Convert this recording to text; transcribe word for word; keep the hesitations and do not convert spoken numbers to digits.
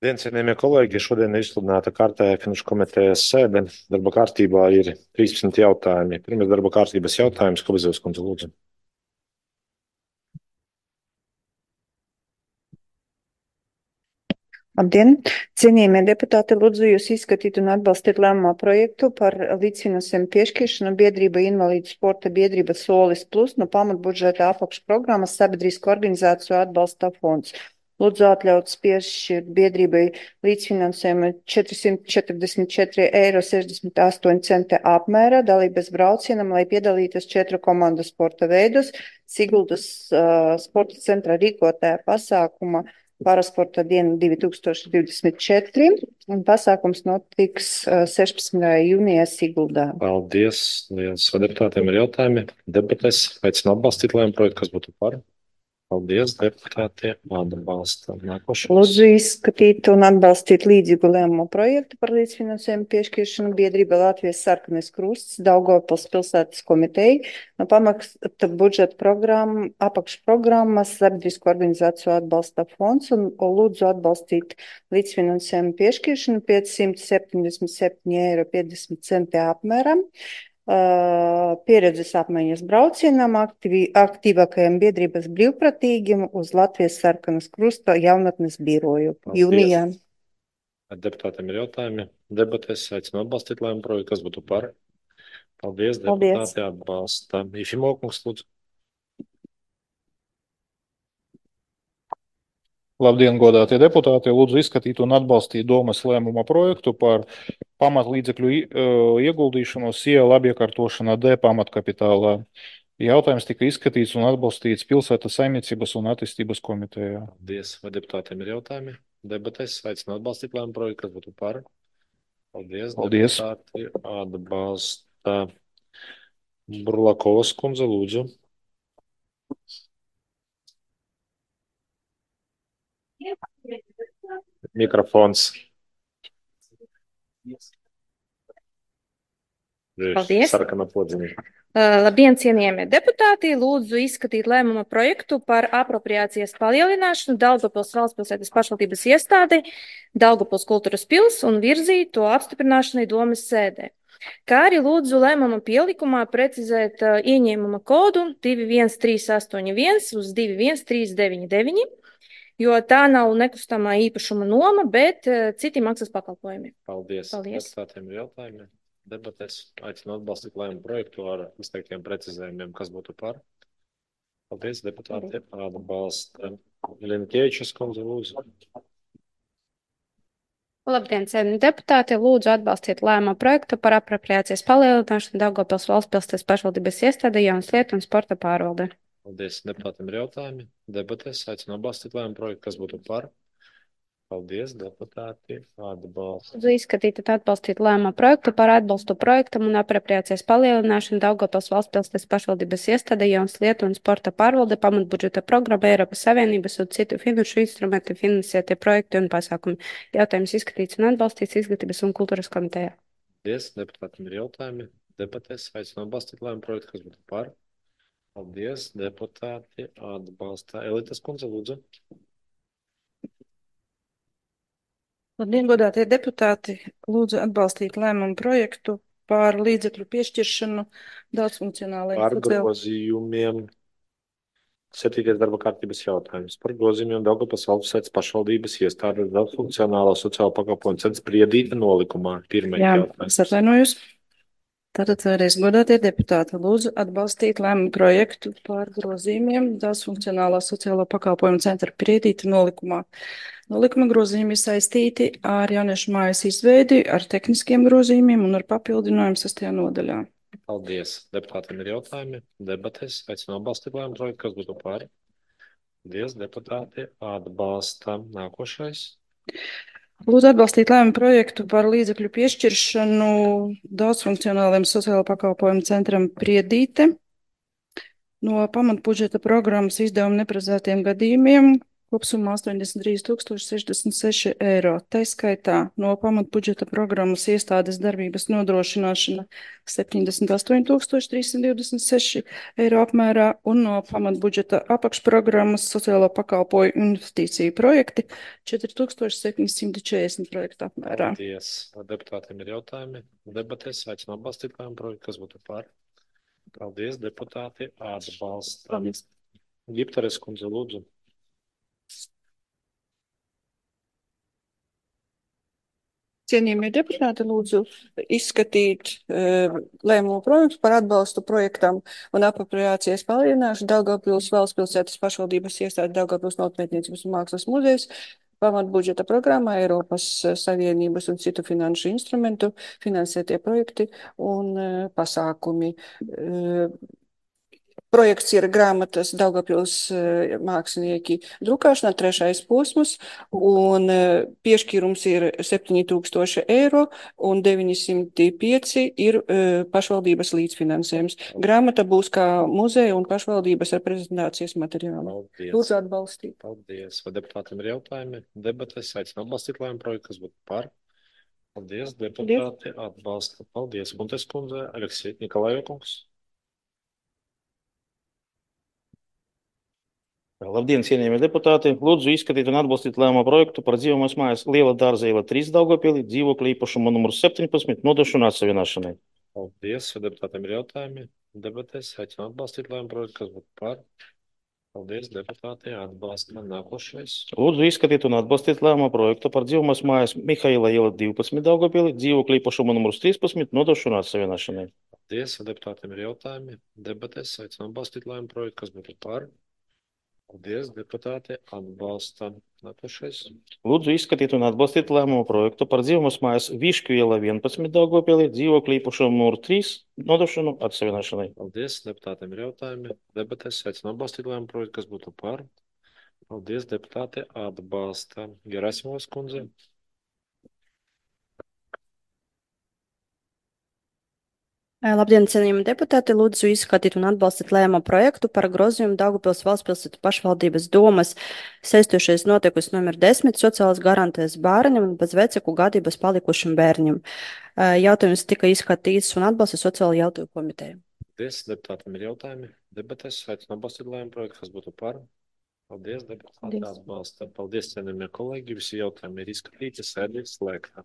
Dien, cienījamie kolēģi, šodien ir izsludināta kārtējā finanšu komitejas sēde. Darba kārtībā ir trīspadsmit jautājumi. Pirmais darba kārtības jautājums, Kobizevs kundze, lūdzu. Labdien! Cienījamie deputāti, lūdzu jūs izskatīt un atbalstīt lēmumā projektu par līdzfinansējumu piešķiršanu biedrība Invalīdu sporta biedrība Solis Plus no pamatbudžeta apakšprogrammas Sabiedrisko organizāciju atbalsta fonds. Lūdzu atļauts piešķirt biedrībai līdzfinansējumu četrsimt četrdesmit četri eiro sešdesmit astoņi centi apmērā dalības braucienam, lai piedalītos četru komandu sporta veidos Siguldas uh, sporta centra rīkotājā pasākuma Parasporta diena divi tūkstoši divdesmit četri, un pasākums notiks uh, sešpadsmitajā jūnijā Siguldā. Paldies. Liels deputātiem ir jautājumi. Debatēs aicinu atbalstīt lēmumu projektu, kas būtu par. Paldies, deputāti. Atbalsta. Nākošais. Lūdzu izskatīt un atbalstīt līdzīgu lēmumu projektu par līdzfinansējumu piešķiršanu biedrība Latvijas Sarkanais Krusts Daugavpils pilsētas komiteja no pamaksta budžeta programma, apakšprogrammas Sabiedrisko organizāciju atbalsta fonds un lūdzu atbalstīt līdzfinansējumu piešķiršanu piecsimt septiņdesmit septiņi eiro piecdesmit centi apmēram. Uh, pieredzes apmaiņas braucienam aktīvi, aktīvākajiem biedrības brīvpratīgiem uz Latvijas Sarkanas Krusta jaunatnes biroju jūnijā. Deputātiem ir jautājumi. Debatēs aicinu atbalstīt lēmumu projektu, kas būtu par. Paldies, Paldies. deputāti atbalsta. Ifimokungs, lūdzu. Labdien, godātie deputāti! Lūdzu izskatīt un atbalstīt domas lēmuma projektu par pamatlīdzekļu ieguldīšanos iela apiekārtošanā D pamatkapitālā. Jautājums tika izskatīts un atbalstīts pilsētas saimniecības un attīstības komitejā. Paldies. Vai deputātiem ir jautājumi? Debatēs aicinu atbalstīt lēmumu projektu, kas būtu par. Paldies. Paldies. Deputāti atbalsta. Burlakovas kundze, lūdzu. Mikrofons. Paldies. Sarkana podziņa. Uh, labdien, cienījamie deputāti! Lūdzu izskatīt lēmuma projektu par apropriācijas palielināšanu Daugavpils valstspilsētas pašvaldības iestādi Daugavpils kultūras pils un virzīt to apstiprināšanai domas sēdē. Kā arī lūdzu lēmuma pielikumā precizēt uh, ieņēmuma kodu divi viens trīs astoņi viens uz divi viens trīs deviņi deviņi, jo tā nav nekustamā īpašuma noma, bet uh, citi maksas pakalpojumi. Paldies. Paldies. Deputātiem ir jautājumi. Debatēs aicinu atbalstīt lēmumu projektu ar izteiktiem precizējumiem, kas būtu par. Paldies, deputāti. Atbalsta. Linkievičs kundze, lūdzu. Labdien, cienījamie deputāti! Lūdzu atbalstīt lēmumu projektu par apropriācijas palielināšanu Daugavpils valstspilsētas pašvaldības iestādē jaunas lietu un sporta pārvalde. Paldies, deputātiem ir jautājumi. Debatēs aicinu atbalstīt lēmumu projektu, kas būtu par. Paldies, deputāti. Atbalsta. Lūdzu izskatīt un atbalstīt lēmumu projektu par atbalstu projektam un apropriācijas palielināšanu Daugavpils valstspilsētas pašvaldības iestādē jaunas lietu un sporta pārvalde pamatbudžeta programma Eiropas Savienības un citu finanšu instrumentu finansētie projekti un pasākumi. Jautājums izskatīts un atbalstīts Izglītības un kultūras komitejā. Paldies, deputātiem ir jautājumi. Debatēs aicinu atbalstīt lēmumu projektu, kas būtu par. Paldies, deputāti. Atbalsta. Elitas kundze, lūdzu. Labdien, godātie deputāti! Lūdzu atbalstīt lēmumu projektu par līdzekļu piešķiršanu daudzfunkcionālajiem Par sociālajiem. grozījumiem. Septītais darba kārtības jautājums. Par grozījumiem Daugavpils valstspilsētas pašvaldības iestādes daudzfunkcionālo sociālo pakalpojumu centra Priedīte nolikumā. Pirmais Jā, jautājums. es atvainojos. Tātad vēlreiz, godātie deputāti, lūdzu atbalstīt lēmumu projektu par grozījumiem daudzfunkcionālā sociālo pakalpojumu centra Priedīte nolikumā. Nolikuma grozījumi ir saistīti ar jauniešu mājas izveidi, ar tehniskiem grozījumiem un ar papildinājumu sastajā nodaļā. Paldies. Deputātiem ir jautājumi. Debatēs aicinu atbalstīt lēmumu projektu, kas būtu par. Paldies, deputāti. Atbalsta. Nākošais. Lūdzu atbalstīt lēmumu projektu par līdzekļu piešķiršanu daudzfunkcionāliem sociālo pakalpojumu centram Priedīte no pamatbudžeta programmas izdevumu neparedzētiem gadījumiem, kopsummā astoņdesmit trīs tūkstoši sešdesmit seši eiro. Tā skaitā no pamatbudžeta programmas iestādes darbības nodrošināšana septiņdesmit astoņi tūkstoši trīssimt divdesmit seši eiro apmērā un no pamatbudžeta apakšprogrammas sociālo pakalpojumu investīciju projekti četri tūkstoši septiņsimt četrdesmit projektu apmērā. Paldies. Deputātiem ir jautājumi. Debatēs aicinu atbalstīt lēmumu projektu, kas būtu par. Paldies, deputāti atbalsta. Paldies. Giptares kundze, lūdzu. Cienījamie deputāti, lūdzu izskatīt uh, lēmumu projektu par atbalstu projektam un apropriācijas palielināšanu Daugavpils valstspilsētas pašvaldības iestāde Daugavpils Novpētniecības un mākslas muzejs pamatbudžeta programmā Eiropas Savienības un citu finanšu instrumentu finansētie projekti un uh, pasākumi. Uh, Projekts ir grāmatas Daugavpils uh, mākslinieki drukāšanā, trešais posms, un uh, piešķīrums ir septiņi tūkstoši eiro un deviņsimt pieci ir uh, pašvaldības līdzfinansējums. Grāmata būs kā muzeja un pašvaldības reprezentācijas materiāli. Paldies. Lūdzu atbalstīt. Paldies. Vai deputātiem ir jautājumi? Debatēs aicinu atbalstīt lēmumu projektu, kas būtu par. Paldies, deputāti atbalsta. Paldies, Guntes kundze, Aleksija Nikolajokungs. Labdien, cienījamie deputāti! Lūdzu izskatīt un atbalstīt lēmumu projektu par dzīvojamās mājas Liela dārza iela trīs Daugavpilī, dzīvokļa īpašuma numurs septiņpadsmit nodošanu atsevienošanai. Paldies, vai deputātiem ir jautājumi? Debatēs aicinu atbalstīt lēmumu projektu, kas būtu par. Paldies, deputāti atbalsta. Nākošais. Lūdzu izskatīt un atbalstīt lēmumu projektu par dzīvojamās mājas Mihaila iela divpadsmit Daugavpilī, dzīvokļa īpašuma numurs trīspadsmit nodošanu atsevienošanai. Paldies, vai deputātiem ir jautājumi? Debatēs aicinu atbalstīt lēmumu projektu, kas būtu par. Paldies, deputāti atbalsta. Nākošais. Lūdzu izskatīt un atbalstīt lēmumu projektu par dzīvojamās mājas Višķu iela vienpadsmit Daugavpilī, dzīvokļa īpašuma numurs trīs nodošanu atsevienošanai. Paldies, deputātiem ir jautājumi. Debatēs aicinu atbalstīt lēmumu projektu, kas būtu par. Paldies, deputāti atbalsta. Gerasimovas kundze. Labdien, cienījami deputāti! Lūdzu izskatīt un atbalstīt lēmumu projektu par grozījumu Daugavpils valstspilsētu pašvaldības domas saistošais notiekums numur desmit sociālās garantijas bērniem un bez vecāku gadības palikušiem bērniem. Jautājums tika izskatīts un atbalsta sociālo jautājumu komiteja. Paldies, deputātiem ir jautājumi. Debatēs aicinu atbalstīt lēmumu projektu, kas būtu par. Paldies, deputāti atbalsta. Paldies, cienījamie kolēģi. Visi jautājumi ir izskatīti, sēde ir slēgta.